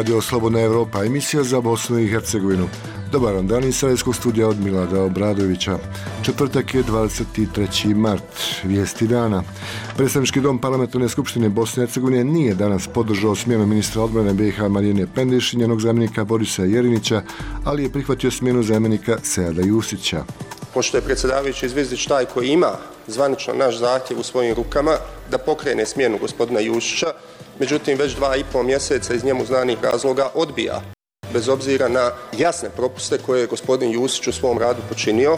Radio Slobodna Evropa, emisija za Bosnu i Hercegovinu. Dobar vam dan iz Sarajevskog studija od Milada Obradovića. Četvrtak je 23. mart, vijesti dana. Predstavnički dom Parlamentarne skupštine Bosne i Hercegovine nije danas podržao smjenu ministra odbrane BiH Marine Pendeš i njenog zamjenika Borisa Jerinića, ali je prihvatio smjenu zamjenika Seada Jusića. Pošto je predsjedavajući Zvizdić taj koji ima zvanično naš zahtjev u svojim rukama da pokrene smjenu gospodina Jusića, međutim već 2,5 mjeseca iz njemu znanih razloga odbija, bez obzira na jasne propuste koje je gospodin Jusić u svom radu počinio.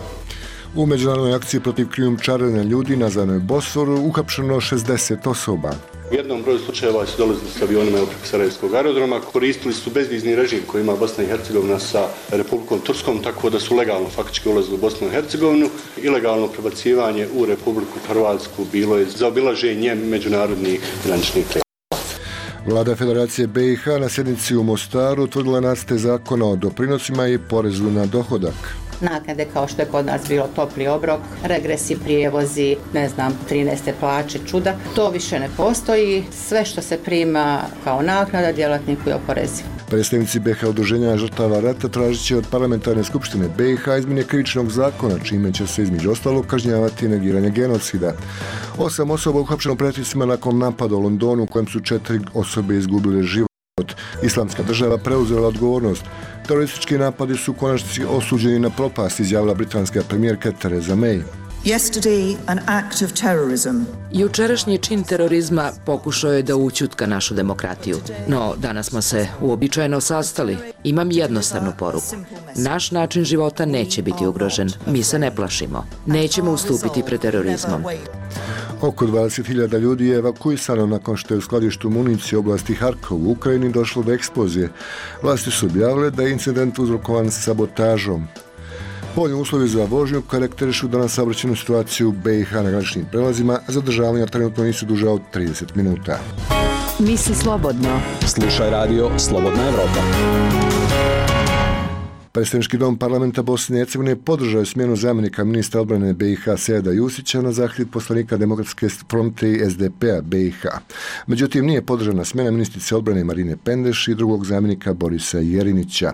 U međunarodnoj akciji protiv krijumčarenja ljudi nazvanoj Bosforu uhapšeno 60 osoba. U jednom broju slučajeva su dolazili s avionima preko Sarajevskog aerodroma, koristili su bezvizni režim koji ima Bosna i Hercegovina sa Republikom Turskom, tako da su legalno faktički ulazili u Bosnu i Hercegovinu. Ilegalno prebacivanje u Republiku Hrvatsku bilo je zaobilaženje međunarodnih graničnih prijelaza. Vlada Federacije BiH na sjednici u Mostaru utvrdila nacrte zakona o doprinosima i porezu na dohodak. Naknade kao što je kod nas bilo topli obrok, regresi, prijevozi, 13. plaće, čuda. To više ne postoji. Sve što se prima kao naknada djelatniku je oporezivo. Predstavnici BiH udruženja žrtava rata tražit će od Parlamentarne skupštine BiH izmjene krivičnog zakona, čime će se između ostalog kažnjavati negiranje genocida. 8 osoba uhapšeno pretresima nakon napada u Londonu u kojem su 4 osobe izgubile život. Islamska država preuzela odgovornost. Teroristički napadi su u konačnici osuđeni na propast, izjavila britanska premijerka Theresa May. Yesterday, an act of terrorism. Jučerašnji čin terorizma pokušao je da ućutka našu demokratiju. No, danas smo se uobičajeno sastali. Imam jednostavnu poruku. Naš način života neće biti ugrožen. Mi se ne plašimo. Nećemo ustupiti pred terorizmom. Oko 20.000 ljudi je evakuisano nakon što je u skladištu municije u oblasti Harkov u Ukrajini došlo do eksplozije. Vlasti su objavile da je incident uzrokovan sabotažom. Povoljni uslovi za vožnju karakterišu danas saobraćajnu situaciju BiH na graničnim prelazima, a zadržavanja trenutno nisu duža od 30 minuta. Misli slobodno. Slušaj radio Slobodna Evropa. Predstavnički dom Parlamenta Bosne i Hercegovine podržao je smjenu zamjenika ministra odbrane BiH Seada Jusića na zahtjev poslanika Demokratske fronte i SDP-a BiH. Međutim, nije podržana smjena ministrice odbrane Marine Pendeš i drugog zamjenika Borisa Jerinića.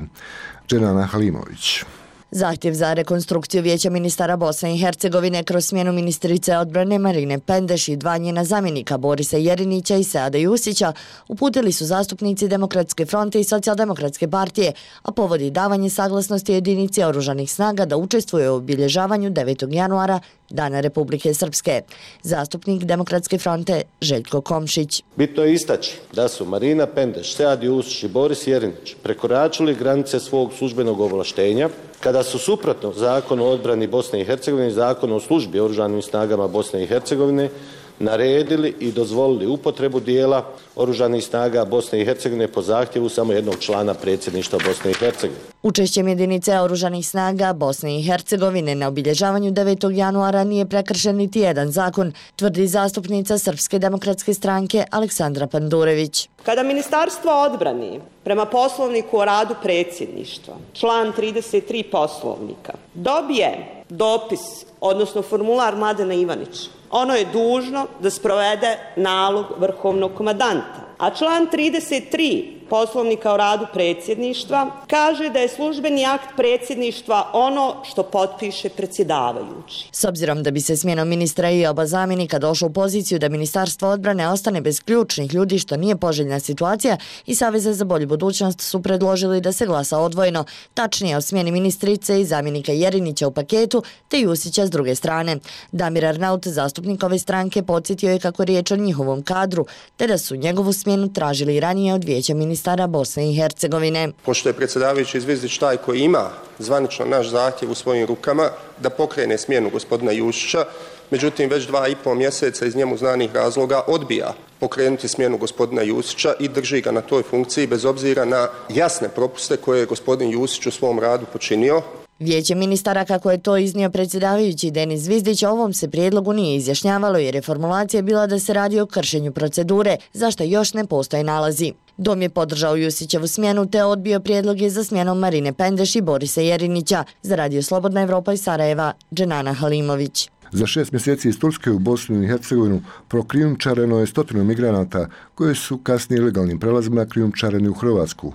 Dženana Halimović. Zahtjev za rekonstrukciju Vijeća ministara Bosne i Hercegovine kroz smjenu ministrice odbrane Marine Pendeš i dva njena zamjenika Borisa Jerinića i Seada Jusića uputili su zastupnici Demokratske fronte i Socijaldemokratske partije, a povodi davanje saglasnosti jedinici oružanih snaga da učestvuje u obilježavanju 9. januara Dana Republike Srpske. Zastupnik Demokratske fronte Željko Komšić. Bitno je istaći da su Marina Pendeš, Sead Jusić i Boris Jerinić prekoračili granice svog službenog ovlaštenja kada su suprotno Zakonu o odbrani Bosne i Hercegovine i Zakonu o službi oružanim snagama Bosne i Hercegovine naredili i dozvolili upotrebu dijela oružanih snaga Bosne i Hercegovine po zahtjevu samo jednog člana predsjedništva Bosne i Hercegovine. Učešćem jedinice oružanih snaga Bosne i Hercegovine na obilježavanju 9. januara nije prekršen niti jedan zakon, tvrdi zastupnica Srpske demokratske stranke Aleksandra Pandurević. Kada Ministarstvo odbrane prema poslovniku o radu predsjedništva, član 33 poslovnika, dobije dopis, odnosno formular Mladena Ivanića, ono je dužno da sprovede nalog vrhovnog komandanta. A član 33 Poslovnika o radu predsjedništva kaže da je službeni akt predsjedništva ono što potpiše predsjedavajući. S obzirom da bi se smjenom ministra i oba zamjenika došlo u poziciju da Ministarstvo odbrane ostane bez ključnih ljudi, što nije poželjna situacija, i Saveza za bolju budućnost su predložili da se glasa odvojeno, tačnije o smjeni ministrice i zamjenika Jerinića u paketu, te Jusića s druge strane. Damir Arnaut, zastupnik ove stranke, podsjetio je kako riječ o njihovom kadru, te da su njegovu smjenu tražili i ranije od Vijeća ministara Bosne i Hercegovine. Pošto je predsjedavajući Zvizdić taj koji ima zvanično naš zahtjev u svojim rukama da pokrene smjenu gospodina Jusića, međutim već 2,5 mjeseca iz njemu znanih razloga odbija pokrenuti smjenu gospodina Jusića i drži ga na toj funkciji bez obzira na jasne propuste koje je gospodin Jusić u svom radu počinio. Vijeće ministara, kako je to iznio predsjedavajući Denis Zvizdić, o ovom se prijedlogu nije izjašnjavalo jer je formulacija bila da se radi o kršenju procedure, za što još ne postoje nalazi. Dom je podržao Jusićevu smjenu te odbio prijedloge za smjenom Marine Pendeš i Borisa Jerinića. Za Radio Slobodna Evropa iz Sarajeva, Dženana Halimović. Za 6 mjeseci iz Turske u Bosnu i Hercegovinu prokrijumčareno je 100 migranata koji su kasnije ilegalnim prelazima krijumčareni u Hrvatsku.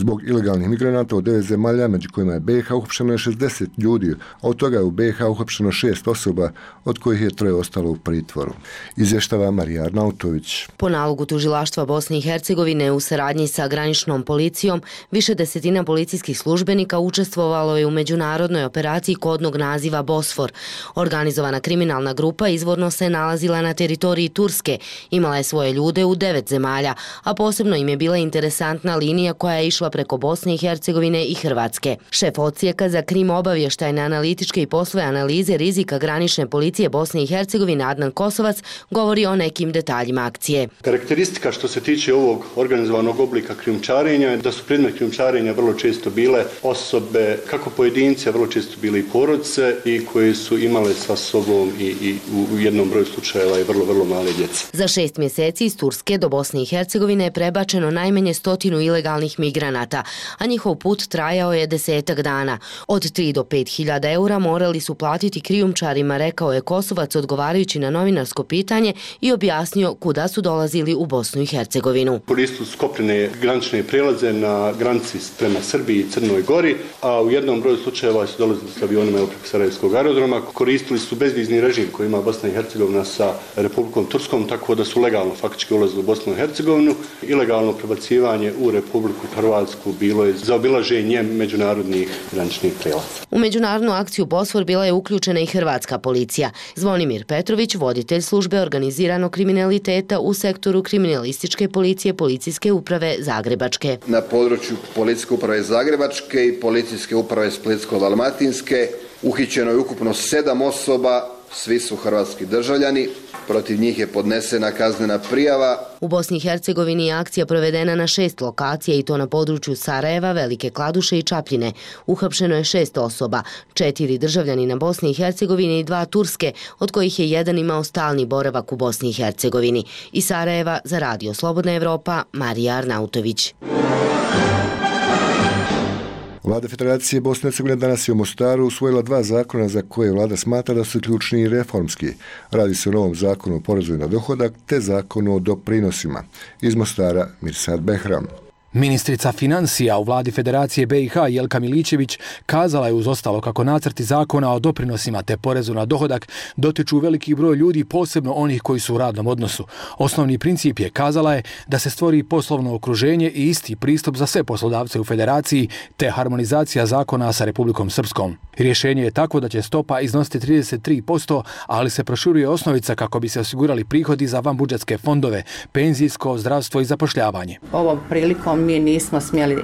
Zbog ilegalnih migranata u 9 zemalja, među kojima je BiH, uhapšeno je 60 ljudi, a od toga je u BiH uhapšeno 6 osoba, od kojih je 3 ostalo u pritvoru. Izvještava Marija Arnautović. Po nalogu tužilaštva Bosne i Hercegovine u saradnji sa graničnom policijom, više desetina policijskih službenika učestvovalo je u međunarodnoj operaciji kodnog naziva Bosfor. Organizovana kriminalna grupa izvorno se nalazila na teritoriji Turske, imala je svoje ljude u 9 zemalja, a posebno im je bila interesantna linija koja je išla preko Bosne i Hercegovine i Hrvatske. Šef odsjeka za krim obavještajne analitičke i poslove analize rizika granične policije Bosne i Hercegovine Adnan Kosovac govori o nekim detaljima akcije. Karakteristika što se tiče ovog organizovanog oblika krijumčarenja je da su predmet krijumčarenja vrlo često bile osobe, kako pojedinci, a vrlo često bile i porodice i koje su imale sa sobom i u jednom broju slučajeva i vrlo male djece. Za 6 mjeseci iz Turske do Bosne i Hercegovine je prebačeno najmanje 100 ilegalnih migranata, a njihov put trajao je 10 dana. Od 3 do 5.000 eura morali su platiti krijumčarima, rekao je Kosovac odgovarajući na novinarsko pitanje i objasnio kuda su dolazili u Bosnu i Hercegovinu. Koristili su kopnene granične prijelaze na granici prema Srbiji i Crnoj Gori, a u jednom broju slučajeva su dolazili s avionima preko Sarajevskog aerodroma. Koristili su bezvizni režim koji ima Bosna i Hercegovina sa Republikom Turskom, tako da su legalno faktički ulazili u Bosnu i Hercegovinu. Ilegalno prebacivanje u Republiku Hrvatsku bilo je zaobilaženje međunarodnih graničnih prijelaza. U međunarodnu akciju Bosfor bila je uključena i hrvatska policija. Zvonimir Petrović, voditelj službe organiziranog kriminaliteta u sektoru kriminalističke policije Policijske uprave Zagrebačke. Na području Policijske uprave Zagrebačke i Policijske uprave Splitsko-dalmatinske uhićeno je ukupno 7 osoba, svi su hrvatski državljani. Protiv njih je podnesena kaznena prijava. U Bosni i Hercegovini je akcija provedena na 6 lokacija i to na području Sarajeva, Velike Kladuše i Čapljine. Uhapšeno je 6 osoba, 4 državljanina Bosne i Hercegovine i 2 Turske, od kojih je jedan imao stalni boravak u Bosni i Hercegovini. Iz Sarajeva za Radio Slobodna Evropa, Marija Arnautović. Vlada Federacije Bosne i Hercegovine danas je u Mostaru usvojila 2 zakona za koje vlada smatra da su ključni i reformski. Radi se o novom zakonu o porezu na dohodak te zakonu o doprinosima. Iz Mostara Mirsad Behram. Ministrica financija u vladi Federacije BiH Jelka Milićević kazala je uz ostalo kako nacrti zakona o doprinosima te porezu na dohodak dotiču veliki broj ljudi, posebno onih koji su u radnom odnosu. Osnovni princip je, kazala je, da se stvori poslovno okruženje i isti pristup za sve poslodavce u Federaciji te harmonizacija zakona sa Republikom Srpskom. Rješenje je takvo da će stopa iznositi 33%, ali se proširuje osnovica kako bi se osigurali prihodi za vanbudžetske fondove, penzijsko, zdravstvo i zapošljavanje. Ovom prilikom mi nismo smjeli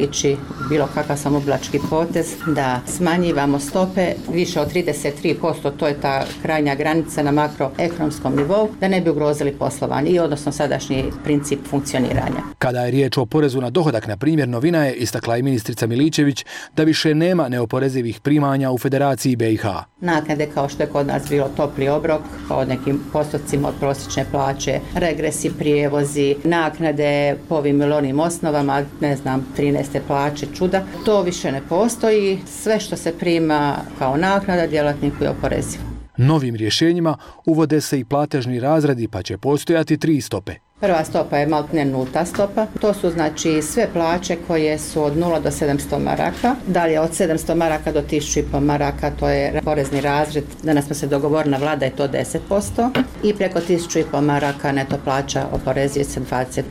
ići bilo kakav samoblački potez da smanjivamo stope više od 33%, to je ta krajnja granica na makroekonomskom nivou, da ne bi ugrozili poslovanje i odnosno sadašnji princip funkcioniranja. Kada je riječ o porezu na dohodak, na primjer, novina je, istakla i ministrica Milićević, da više nema neoporezivih primanja u Federaciji BiH. Naknade kao što je kod nas bilo topli obrok, od nekim postocima od prosječne plaće, regresi, prijevozi, naknade po ovim ili onim osnovama, 13. plaće, čuda. To više ne postoji. Sve što se prima kao naknada djelatniku je oporezivo. Novim rješenjima uvode se i platežni razredi, pa će postojati 3 stope. Prva stopa je maltene nulta stopa. To su znači sve plaće koje su od 0 do 700 maraka. Dalje od 700 maraka do 1500 maraka, to je porezni razred. Danas smo se dogovorili na vlada je to 10%. I preko 1500 maraka neto plaća oporezuje se 20%.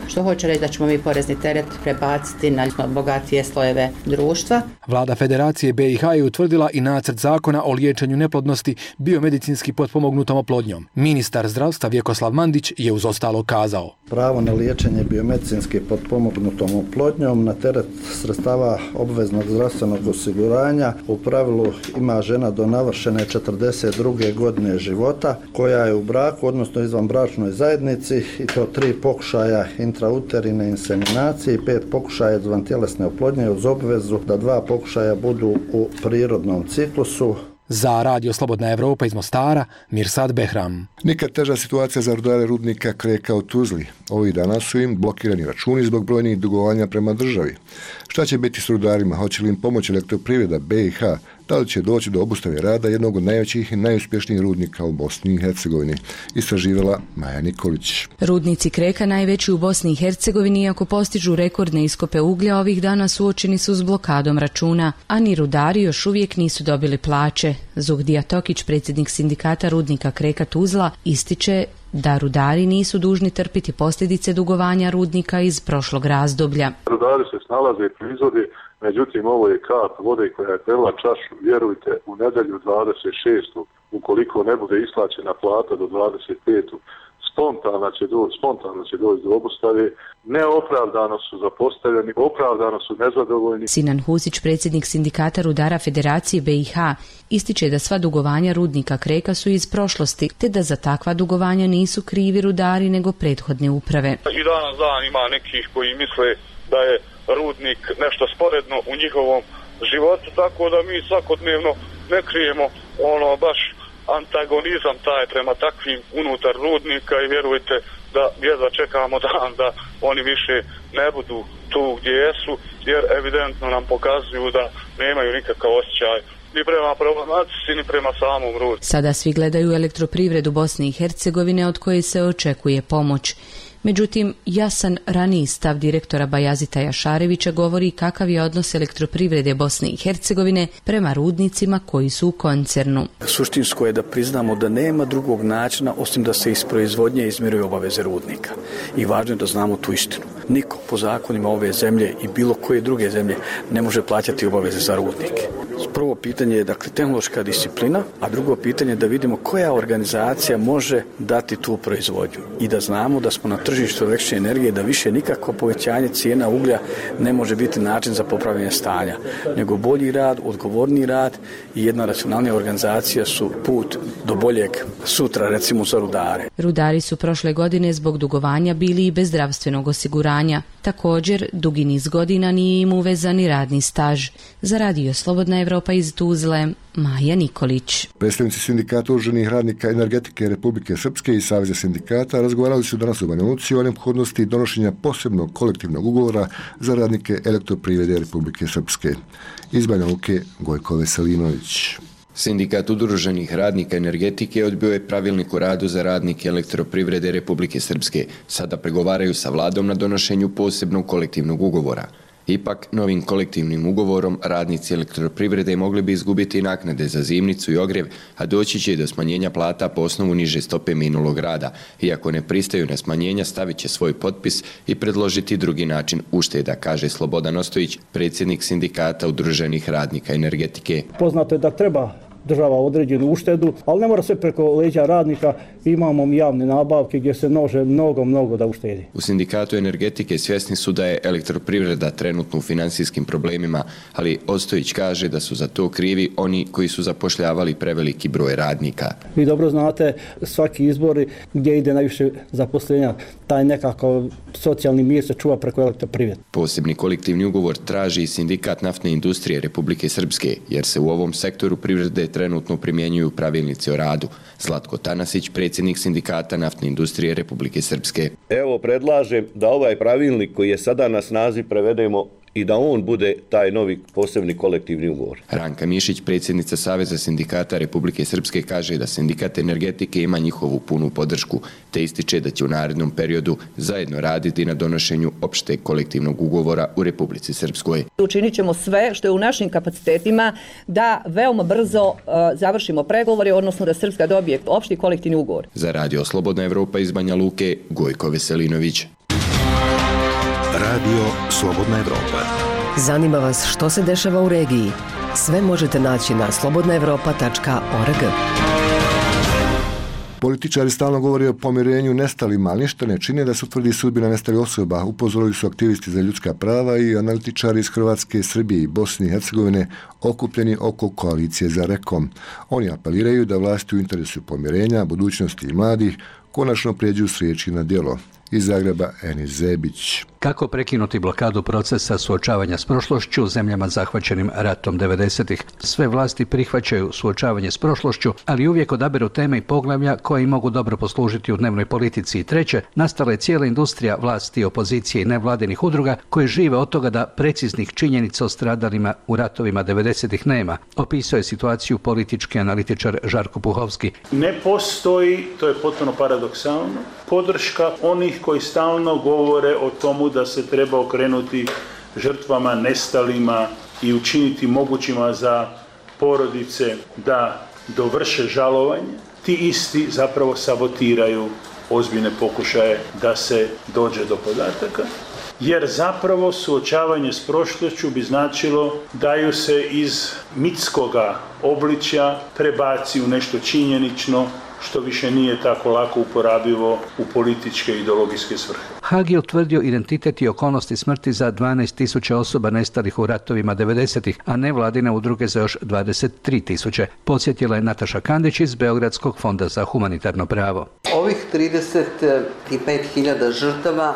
Što hoće reći da ćemo mi porezni teret prebaciti na bogatije slojeve društva. Vlada Federacije BiH je utvrdila i nacrt zakona o liječenju neplodnosti biomedicinski potpomognutom oplodnjom. Ministar zdravstva Vjekoslav Mandić je uz ostalo kazao. Pravo na liječenje biomedicinski potpomognutom oplodnjom na teret sredstava obveznog zdravstvenog osiguranja u pravilu ima žena do navršene 42. godine života koja je u braku, odnosno izvanbračnoj zajednici, i to 3 pokušaja intrauterine inseminacije i 5 pokušaja izvantjelesne oplodnje uz obvezu da 2 pokušaja budu u prirodnom ciklusu. Za Radio Slobodna Evropa iz Mostara, Mirsad Behram. Nikad teža situacija za rudare rudnika Kreka u Tuzli. Ovih dana su im blokirani računi zbog brojnih dugovanja prema državi. Šta će biti s rudarima? Hoće li im pomoći Elektroprivreda BiH da li će doći do obustave rada jednog od najvećih i najuspješnijih rudnika u Bosni i Hercegovini, istraživala Maja Nikolić. Rudnici Kreka, najveći u Bosni i Hercegovini, iako postižu rekordne iskope uglja, ovih dana suočeni su s blokadom računa, a ni rudari još uvijek nisu dobili plaće. Zuhdija Tokić, predsjednik sindikata rudnika Kreka Tuzla, ističe da rudari nisu dužni trpiti posljedice dugovanja rudnika iz prošlog razdoblja. Rudari se snalaze i proizvode, međutim ovo je kap vode koja je prela čašu, vjerujte, u nedelju 26. ukoliko ne bude isplaćena plata do 25. spontano će doći do obustave, neopravdano su zapostavljeni, opravdano su nezadovoljni. Sinan Husić, predsjednik sindikata rudara Federacije BiH, ističe da sva dugovanja rudnika Kreka su iz prošlosti, te da za takva dugovanja nisu krivi rudari nego prethodne uprave. I danas dan ima nekih koji misle da je rudnik nešto sporedno u njihovom životu, tako da mi svakodnevno ne krijemo baš antagonizam taj prema takvim unutar rudnika i vjerujte da jedva čekamo dan da oni više ne budu tu gdje jesu, jer evidentno nam pokazuju da nemaju nikakav osjećaj ni prema problematici ni prema samom rudniku. Sada svi gledaju elektroprivredu Bosne i Hercegovine od koje se očekuje pomoć. Međutim, jasan raniji stav direktora Bajazita Jašarevića govori kakav je odnos elektroprivrede Bosne i Hercegovine prema rudnicima koji su u koncernu. Suštinsko je da priznamo da nema drugog načina osim da se iz proizvodnje izmiruju obaveze rudnika. I važno je da znamo tu istinu. Niko po zakonima ove zemlje i bilo koje druge zemlje ne može plaćati obaveze za rudnike. Prvo pitanje je dakle tehnološka disciplina, a drugo pitanje je da vidimo koja organizacija može dati tu proizvodnju i da znamo da smo na tržištu električne energije, da više nikako povećanje cijena uglja ne može biti način za popravljanje stanja, nego bolji rad, odgovorni rad i jedna racionalnija organizacija su put do boljeg sutra, recimo za rudare. Rudari su prošle godine zbog dugovanja bili i bez zdravstvenog osiguranja. Također, dugi niz godina nije im uvezan ni radni staž. Za Radio Slobodna Evropa iz Tuzle, Maja Nikolić. Predstavnici sindikata oružanih radnika energetike Republike Srpske i Saveza sindikata razgovarali su danas u Banja Luci o neophodnosti donošenja posebnog kolektivnog ugovora za radnike elektroprivrede Republike Srpske. Iz Banja Luke, Gojko Veselinović. Sindikat udruženih radnika energetike odbio je pravilnik o radu za radnike elektroprivrede Republike Srpske. Sada pregovaraju sa vladom na donošenju posebnog kolektivnog ugovora. Ipak, novim kolektivnim ugovorom radnici elektroprivrede mogli bi izgubiti naknade za zimnicu i ogrjev, a doći će do smanjenja plata po osnovu niže stope minulog rada. Iako ne pristaju na smanjenja, stavit će svoj potpis i predložiti drugi način ušteda, kaže Slobodan Ostojić, predsjednik sindikata udruženih radnika energetike. Poznato je da treba država određenu uštedu, ali ne mora sve preko leđa radnika. Imamo javne nabavke gdje se može mnogo da uštedi. U sindikatu energetike svjesni su da je elektroprivreda trenutno u financijskim problemima, ali Ostojić kaže da su za to krivi oni koji su zapošljavali preveliki broj radnika. Vi dobro znate, svaki izbori gdje ide najviše zaposlenja, taj nekakav socijalni mir se čuva preko elektroprivrede. Posebni kolektivni ugovor traži i sindikat naftne industrije Republike Srpske, jer se u ovom sektoru privrede trenutno primjenjuju pravilnici o radu. Zlatko Tanasić, predsjednik sindikata naftne industrije Republike Srpske. Evo, predlažem da ovaj pravilnik koji je sada na snazi prevedemo i da on bude taj novi posebni kolektivni ugovor. Ranka Mišić, predsjednica Saveza sindikata Republike Srpske, kaže da sindikat energetike ima njihovu punu podršku, te ističe da će u narednom periodu zajedno raditi na donošenju opšteg kolektivnog ugovora u Republici Srpskoj. Učinit ćemo sve što je u našim kapacitetima da veoma brzo završimo pregovore, odnosno da Srpska dobije opšti kolektivni ugovor. Za Radio Slobodna Evropa iz Banja Luke, Gojko Veselinović. Radio Slobodna Evropa. Zanima vas što se dešava u regiji? Sve možete naći na slobodnaevropa.org. Političari stalno govore o pomirenju nestalima, ali ništa ne čine da se utvrdi sudbina nestalih osoba. Upozorili su aktivisti za ljudska prava i analitičari iz Hrvatske, Srbije i Bosne i Hercegovine okupljeni oko koalicije za Rekom. Oni apeliraju da vlasti u interesu pomirenja, budućnosti i mladih konačno prijeđu s riječi na djelo. Iz Zagreba Enis Zebić. Kako prekinuti blokadu procesa suočavanja s prošlošću u zemljama zahvaćenim ratom 90-ih? Sve vlasti prihvaćaju suočavanje s prošlošću, ali uvijek odaberu teme i poglavlja koji mogu dobro poslužiti u dnevnoj politici. I treće, nastala je cijela industrija vlasti, opozicije i nevladinih udruga koje žive od toga da preciznih činjenica o stradalima u ratovima 90-ih nema. Opisao je situaciju politički analitičar Žarko Puhovski. Ne postoji, to je potpuno paradoksalno, podrška onih koji stalno govore o tomu da se treba okrenuti žrtvama, nestalima i učiniti mogućima za porodice da dovrše žalovanje. Ti isti zapravo sabotiraju ozbiljne pokušaje da se dođe do podataka, jer zapravo suočavanje s prošlošću bi značilo da ju se iz mitskoga obličja prebaci u nešto činjenično, što više nije tako lako uporabivo u političke i ideologijske svrhe. Haag je utvrdio identitet i okolnosti smrti za 12.000 osoba nestalih u ratovima 90-ih, a nevladine udruge za još 23.000. Podsjetila je Nataša Kandić iz Beogradskog fonda za humanitarno pravo. Ovih 35.000 žrtava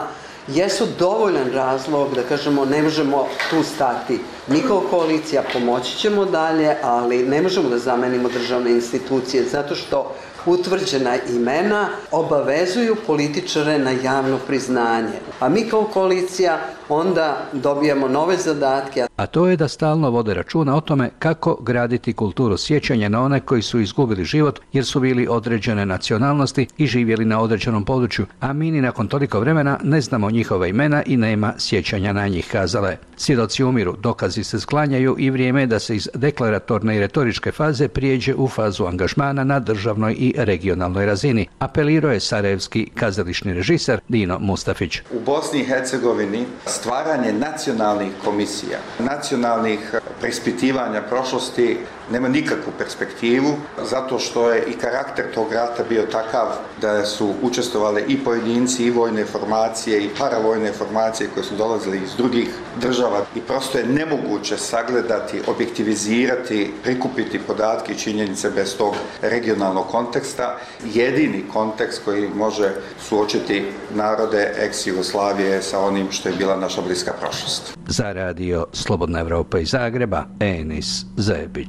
jesu dovoljan razlog da kažemo ne možemo tu stati. Mi kao koalicija pomoći ćemo dalje, ali ne možemo da zamenimo državne institucije zato što utvrđena imena obavezuju političare na javno priznanje. A mi kao koalicija onda dobijamo nove zadatke. A to je da stalno vode računa o tome kako graditi kulturu sjećanja na one koji su izgubili život jer su bili određene nacionalnosti i živjeli na određenom području, a mi ni nakon toliko vremena ne znamo njihova imena i nema sjećanja na njih, kazala je. Svjedoci umiru, dokazi se sklanjaju i vrijeme je da se iz deklaratorne i retoričke faze prijeđe u fazu angažmana na državnoj i regionalnoj razini, apelirao je sarajevski kazališni režiser Dino Mustafić. U Bosni i Hercegovini stvaranje nacionalnih komisija, nacionalnih preispitivanja prošlosti nema nikakvu perspektivu, zato što je i karakter tog rata bio takav da su učestvovali i pojedinci, i vojne formacije, i paravojne formacije koje su dolazili iz drugih država i prosto je nemoguće sagledati, objektivizirati, prikupiti podatke i činjenice bez tog regionalnog konteksta. Jedini kontekst koji može suočiti narode ex-Jugoslavije sa onim što je bila naša bliska prošlost. Za radio Slobodna Evropa iz Zagreba, Enis Zebić.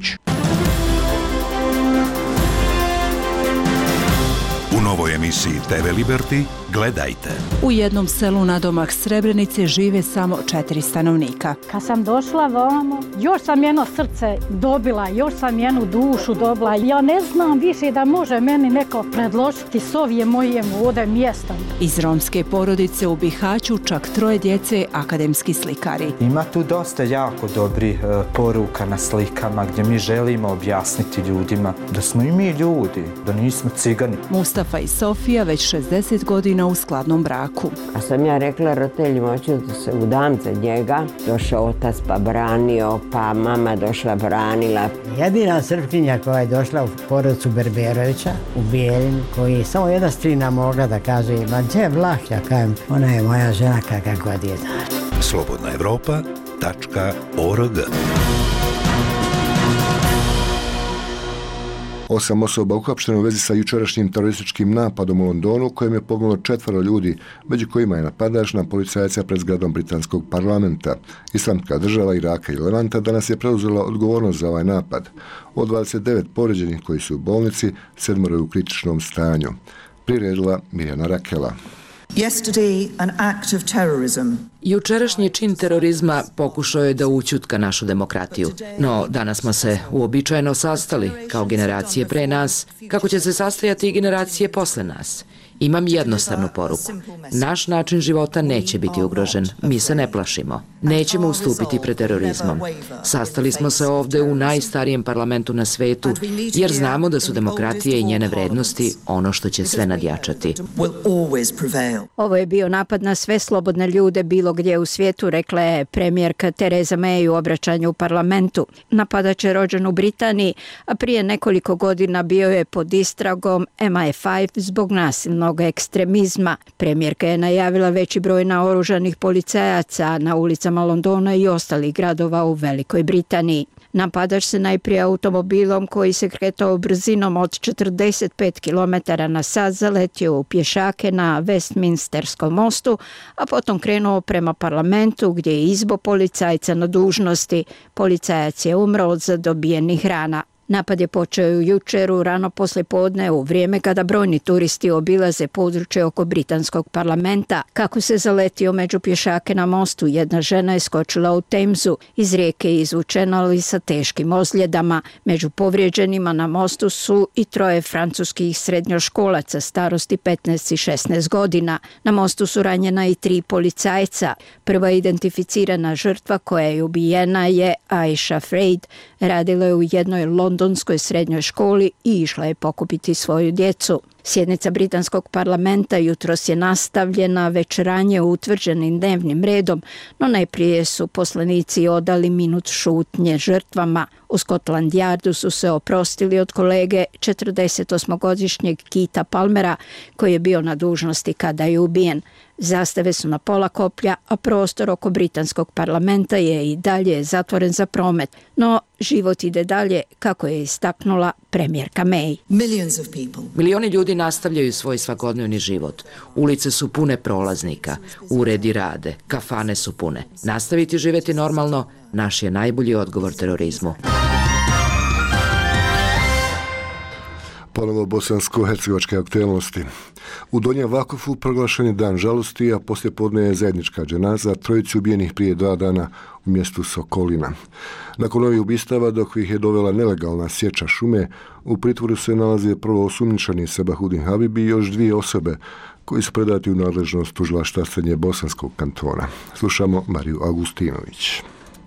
U novoj emisiji TV Liberty gledajte. U jednom selu nadomak Srebrenice žive samo 4 stanovnika. Kad sam došla vamo, još sam jedno srce dobila, još sam jednu dušu dobila. Ja ne znam više da može meni neko predložiti s ovim mojim ovdje mjestom. Iz romske porodice u Bihaću čak 3 djece akademski slikari. Ima tu dosta jako dobrih poruka na slikama gdje mi želimo objasniti ljudima da smo i mi ljudi, da nismo cigani. Mustafa i Sofija već 60 godina u skladnom braku. A sam ja rekla roditeljima, hoću da se udam za njega. Došao otac pa branio, pa mama došla branila. Jedina Srpkinja koja je došla u porodicu Berberovića u Bijeljinu, koji je samo jedna strina mogla da kaže, ma gdje je Vlah, ja kažem, ona je moja žena kakva god je. slobodnaevropa.org 8 osoba uhapšteno u vezi sa jučerašnjim terorističkim napadom u Londonu u kojem je poginulo 4 ljudi, među kojima je napadač na policajca pred zgradom britanskog parlamenta. Islamska država Iraka i Levanta danas je preuzela odgovornost za ovaj napad. Od 29 povrijeđenih koji su u bolnici, 7 je u kritičnom stanju. Priredila Mirjana Rakela. Yesterday, an act of terrorism. Jučerašnji čin terorizma pokušao je da ućutka našu demokratiju. No, danas smo se uobičajeno sastali, kao generacije pre nas, kako će se sastajati i generacije posle nas. Imam jednostavnu poruku. Naš način života neće biti ugrožen. Mi se ne plašimo. Nećemo ustupiti pred terorizmom. Sastali smo se ovde u najstarijem parlamentu na svetu, jer znamo da su demokratije i njene vrednosti ono što će sve nadjačati. Ovo je bio napad na sve slobodne ljude bilo gdje u svijetu, rekla je premijerka Theresa May u obraćanju u parlamentu. Napadač je rođen u Britaniji, a prije nekoliko godina bio je pod istragom MI5 zbog nasilnog ekstremizma. Premijerka je najavila veći broj naoružanih policajaca na ulicama Londona i ostalih gradova u Velikoj Britaniji. Napadač se najprije automobilom koji se kretao brzinom od 45 km na sat zaletio u pješake na Westminsterskom mostu, a potom krenuo prema parlamentu gdje je izbo policajca na dužnosti. Policajac je umro od zadobijenih rana. Napad je počeo jučer u rano poslijepodne u vrijeme kada brojni turisti obilaze područje oko britanskog parlamenta. Kako se zaletio među pješake na mostu, jedna žena je skočila u Temzu. Iz rijeke je izvučena, ali sa teškim ozljedama. Među povrijeđenima na mostu su i 3 francuskih srednjoškolaca starosti 15 i 16 godina. Na mostu su ranjena i 3 policajca. Prva identificirana žrtva koja je ubijena je Aisha Freid. Radila je u jednoj londonskoj srednjoj školi i išla je pokupiti svoju djecu. Sjednica britanskog parlamenta jutros je nastavljena već ranije utvrđenim dnevnim redom, no najprije su poslanici odali minut šutnje žrtvama. U Scotland Yardu su se oprostili od kolege 48-godišnjeg Keitha Palmera, koji je bio na dužnosti kada je ubijen. Zastave su na pola koplja, a prostor oko britanskog parlamenta je i dalje zatvoren za promet. No, život ide dalje, kako je istaknula premijerka May. Milioni ljudi nastavljaju svoj svakodnevni život. Ulice su pune prolaznika, uredi rade, kafane su pune. Nastaviti živjeti normalno, naš je najbolji odgovor terorizmu. Ponovo bosansko-hercegovačke aktualnosti. U Donjem Vakufu proglašen je dan žalosti, a poslijepodne je zajednička dženaza 3 ubijenih prije 2 dana u mjestu Sokolina. Nakon ovih ubistava, dok ih je dovela nelegalna sječa šume, u pritvoru se nalaze prvo osumnjičeni Sabahudin Habib i još 2 osobe koji su predati u nadležnost tužilaštva Srednje bosanskog kantona. Slušamo Mariju Augustinović.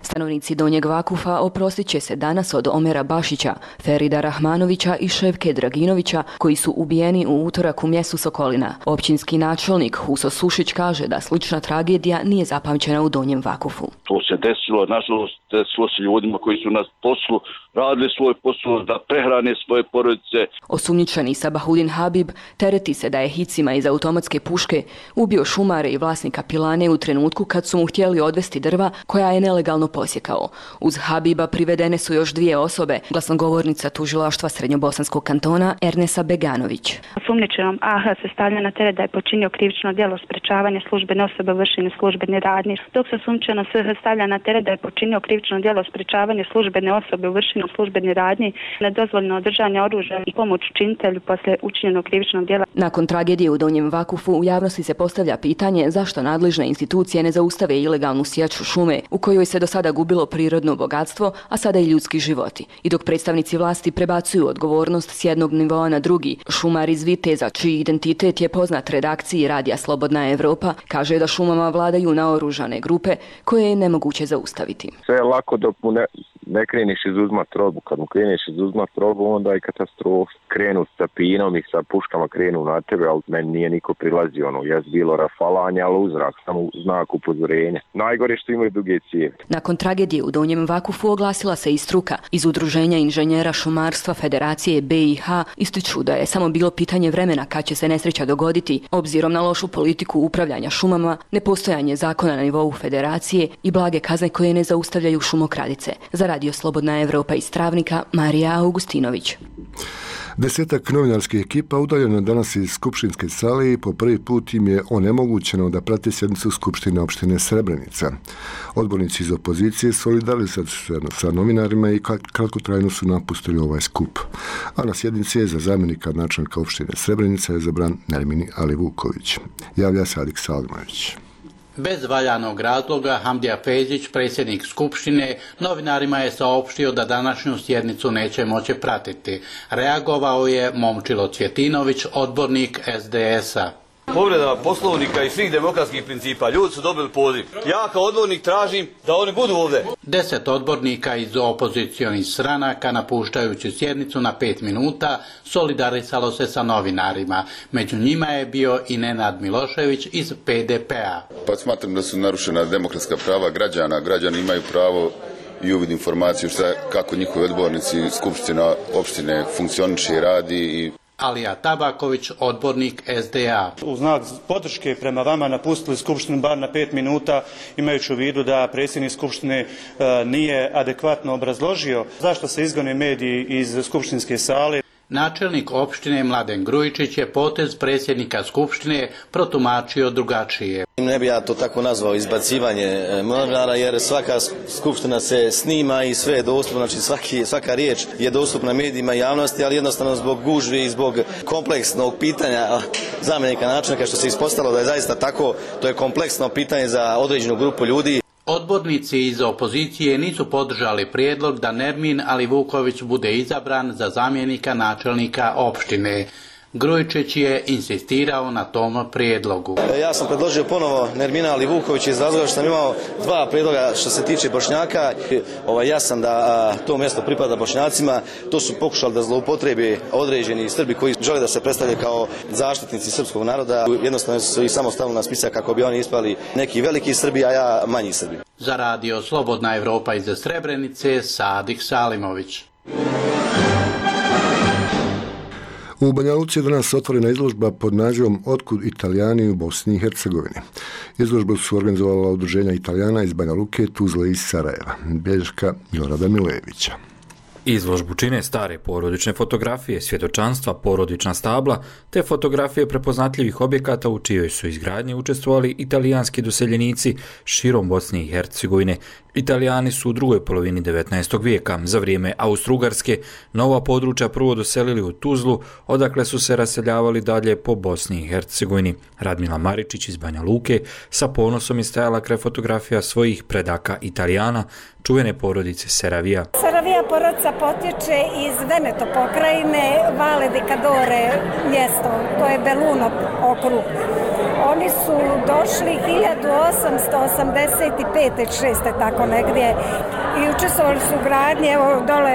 Stanovnici Donjeg Vakufa oprostit će se danas od Omera Bašića, Ferida Rahmanovića i Ševke Draginovića, koji su ubijeni u utorak u mjestu Sokolina. Općinski načelnik Huso Sušić kaže da slična tragedija nije zapamćena u Donjem Vakufu. To se desilo, nažalost, desilo se ljudima koji su na poslu radili svoj posao da prehrane svoje porodice. Osumnjičeni Sabahudin Habib tereti se da je hicima iz automatske puške ubio šumare i vlasnika pilane u trenutku kad su mu htjeli odvesti drva koja je nelegalno posjekao. Uz Habiba privedene su još 2 osobe, glasnogovornica tužilaštva Srednjobosanskog kantona Ernesa Beganović. Osumnjičenom AH se stavlja na teret da je počinio krivično djelo sprečavanja službene osobe u vršenju službene radnje, dok se osumnjičeno SH stavlja na teret da je počinio krivično djelo sprečavanja službene osobe u vršenju službene radnje, nedozvoljeno držanje oružja i pomoć učinitelju poslije učinjenog krivičnog djela. Nakon tragedije u Donjem Vakufu u javnosti se postavlja pitanje zašto nadležne institucije ne zaustave ilegalnu sječu šume u kojoj se do sada gubilo prirodno bogatstvo, a sada i ljudski životi. I dok predstavnici vlasti prebacuju odgovornost s jednog nivoa na drugi, šumar iz Viteza, čiji identitet je poznat redakciji Radija Slobodna Evropa, kaže da šumama vladaju naoružane grupe koje je nemoguće zaustaviti. Sve je lako dok mu ne kreniš izuzmat robu. Kad mu kreniš izuzmat robu, onda je katastrofa. Krenu sa pinom i sa puškama krenu na tebe, ali meni nije niko prilazio. Jes bilo rafalanje, ali uzrak, samo znak upozorenja. Najgore što imaju duge cijevi. Nakon tragedije u Donjem Vakufu oglasila se i struka. Iz Udruženja inženjera šumarstva Federacije BiH ističu da je samo bilo pitanje vremena kad će se nesreća dogoditi, obzirom na lošu politiku upravljanja šumama, nepostojanje zakona na nivou federacije i blage kazne koje ne zaustavljaju šumokradice. Za Radio Slobodna Evropa iz Travnika, Marija Augustinović. 10 novinarskih ekipa udaljeno danas iz skupštinske sale i po prvi put im je onemogućeno da prate sjednicu Skupštine opštine Srebrenica. Odbornici iz opozicije solidarizovali su se sa novinarima i kratkotrajno su napustili ovaj skup. A na sjednici je za zamjenika načelnika opštine Srebrenica je izabran Nermin Alivuković. Javlja se Adik Salmović. Bez valjanog razloga Hamdija Fezić, predsjednik Skupštine, novinarima je saopštio da današnju sjednicu neće moći pratiti. Reagovao je Momčilo Cvjetinović, odbornik SDS-a. Povreda poslovnika i svih demokratskih principa. Ljudi su dobili poziv. Ja kao odbornik tražim da oni budu ovdje. 10 odbornika iz opozicionih stranaka, napuštajući sjednicu na 5 minuta, solidarisalo se sa novinarima. Među njima je bio i Nenad Milošević iz PDP-a. Pa smatram da su narušena demokratska prava građana. Građani imaju pravo i uvid informaciju kako njihovi odbornici Skupština opštine funkcioniše i radi. Alija Tabaković, odbornik SDA. U znak podrške prema vama napustili skupštinu bar na 5 minuta, imajući u vidu da predsjednik skupštine nije adekvatno obrazložio zašto se izgone mediji iz skupštinske sale. Načelnik opštine Mladen Grujičić je potez predsjednika skupštine protumačio drugačije. Ne bi ja to tako nazvao izbacivanje novinara, jer svaka skupština se snima i sve je dostupno, znači svaka riječ je dostupna medijima i javnosti, ali jednostavno zbog gužvi i zbog kompleksnog pitanja zamjenika načelnika, što se ispostavilo da je zaista tako, to je kompleksno pitanje za određenu grupu ljudi. Odbornici iz opozicije nisu podržali prijedlog da Nermin Alivuković bude izabran za zamjenika načelnika opštine. Grujičić je insistirao na tom prijedlogu. Ja sam predložio ponovo Nermina Alivukovića iz razloga što sam imao 2 prijedloga što se tiče Bošnjaka. Jasan da to mjesto pripada Bošnjacima. To su pokušali da zloupotrebi određeni Srbi koji žele da se predstavljaju kao zaštitnici srpskog naroda. Jednostavno su ih samo stavili na spisak kako bi oni ispali neki veliki Srbi, a ja manji Srbi. Za radio Slobodna Evropa iz Srebrenice, Sadik Salimović. U Banja Luci je danas otvorena izložba pod nazivom Otkud Italijani u Bosni i Hercegovini. Izložbu su organizovala udruženja Italijana iz Banja Luke, Tuzle i Sarajeva. Bilješka Milorada Milojevića. Izložbu čine stare porodične fotografije, svjedočanstva, porodična stabla te fotografije prepoznatljivih objekata u čijoj su izgradnji učestvovali italijanski doseljenici širom Bosne i Hercegovine. Italijani su u drugoj polovini 19. vijeka za vrijeme Austro-Ugarske nova područja prvo doselili u Tuzlu, odakle su se raseljavali dalje po Bosni i Hercegovini. Radmila Maričić iz Banja Luke sa ponosom je stajala kraj fotografija svojih predaka Italijana, čuvene porodice Seravija. Seravija porodica potječe iz Veneto pokrajine, Valle di Cadore mjesto, to je Belluno okrug. Oni su došli 1885-6. tako negdje i učestvovali su u gradnji, evo dole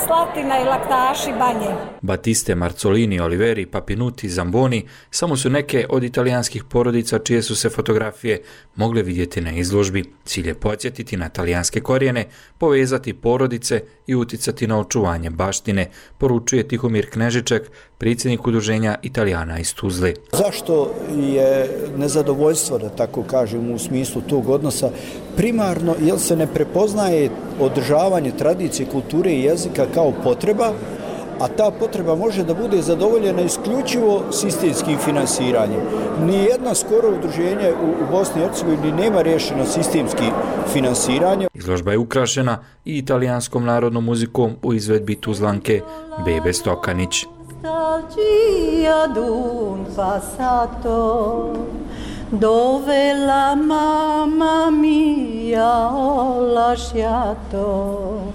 Slatina i Laktaši Banje. Batiste, Marzolini, Oliveri, Papinuti, Zamboni samo su neke od italijanskih porodica čije su se fotografije mogle vidjeti na izložbi. Cilj je podsjetiti na talijanske korijene, povezati porodice i uticati na očuvanje baštine, poručuje Tihomir Knežiček, predsjednik udruženja Italijana iz Tuzle. Zašto je nezadovoljstvo, da tako kažem, u smislu tog odnosa primarno jer se ne prepoznaje održavanje tradicije, kulture i jezika kao potreba, a ta potreba može da bude zadovoljena isključivo sistemskim finansiranjem. Nijedno skoro udruženje u Bosni i Hercegovini nema rješeno sistemski finansiranje. Izložba je ukrašena i italijanskom narodnom muzikom u izvedbi Tuzlanke Bebe Stokanić. Dove la mamma mia ho lasciato.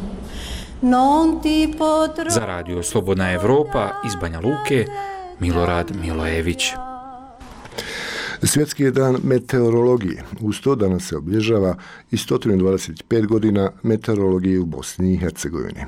Za radio Slobodna Evropa iz Banja Luke, Milorad Milojević. Svjetski je dan meteorologije. Uz to danas se obilježava i 125 godina meteorologije u Bosni i Hercegovini.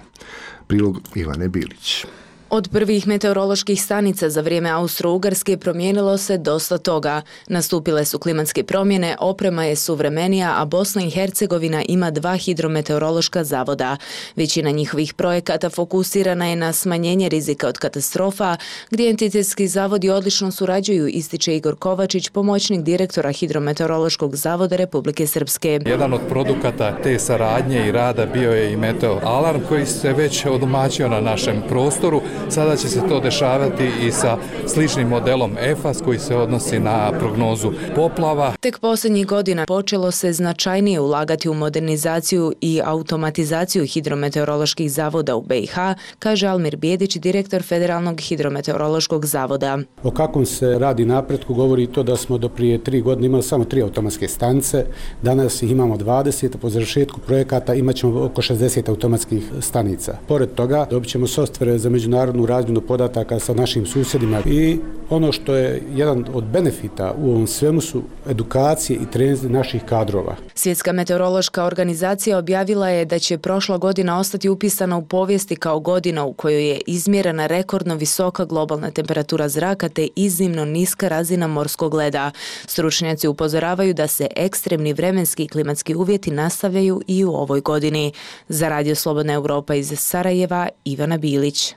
Prilog Ivane Bilić. Od prvih meteoroloških stanica za vrijeme Austro-Ugarske promijenilo se dosta toga. Nastupile su klimatske promjene, oprema je suvremenija, a Bosna i Hercegovina ima 2 hidrometeorološka zavoda. Većina njihovih projekata fokusirana je na smanjenje rizika od katastrofa, gdje entitetski zavodi odlično surađuju, ističe Igor Kovačić, pomoćnik direktora Hidrometeorološkog zavoda Republike Srpske. Jedan od produkata te saradnje i rada bio je i Meteo Alarm koji se već odomaćio na našem prostoru. Sada će se to dešavati i sa sličnim modelom EFAS koji se odnosi na prognozu poplava. Tek posljednjih godina počelo se značajnije ulagati u modernizaciju i automatizaciju hidrometeoroloških zavoda u BiH, kaže Almir Bijedić, direktor Federalnog hidrometeorološkog zavoda. O kakvom se radi napretku govori to da smo do prije 3 godine imali samo 3 automatske stanice, danas ih imamo 20, a po završetku projekata imat ćemo oko 60 automatskih stanica. Pored toga dobit ćemo softvere za međunarodnu razmjenu podataka sa našim susjedima i ono što je jedan od benefita u ovom svemu su edukacije i treninzi naših kadrova. Svjetska meteorološka organizacija objavila je da će prošla godina ostati upisana u povijesti kao godina u kojoj je izmjerena rekordno visoka globalna temperatura zraka te iznimno niska razina morskog leda. Stručnjaci upozoravaju da se ekstremni vremenski i klimatski uvjeti nastavljaju i u ovoj godini. Za radio Slobodna Evropa iz Sarajeva, Ivana Bilić.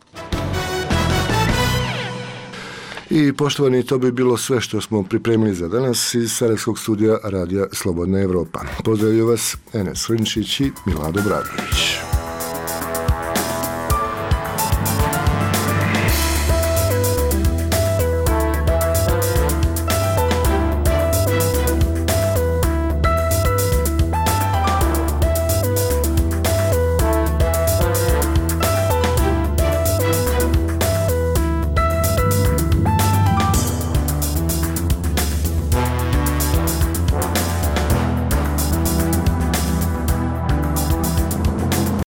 I poštovani, to bi bilo sve što smo pripremili za danas iz Sarajevskog studija Radija Slobodna Evropa. Pozdravljaju vas Enes Rinčić i Milado Bradović.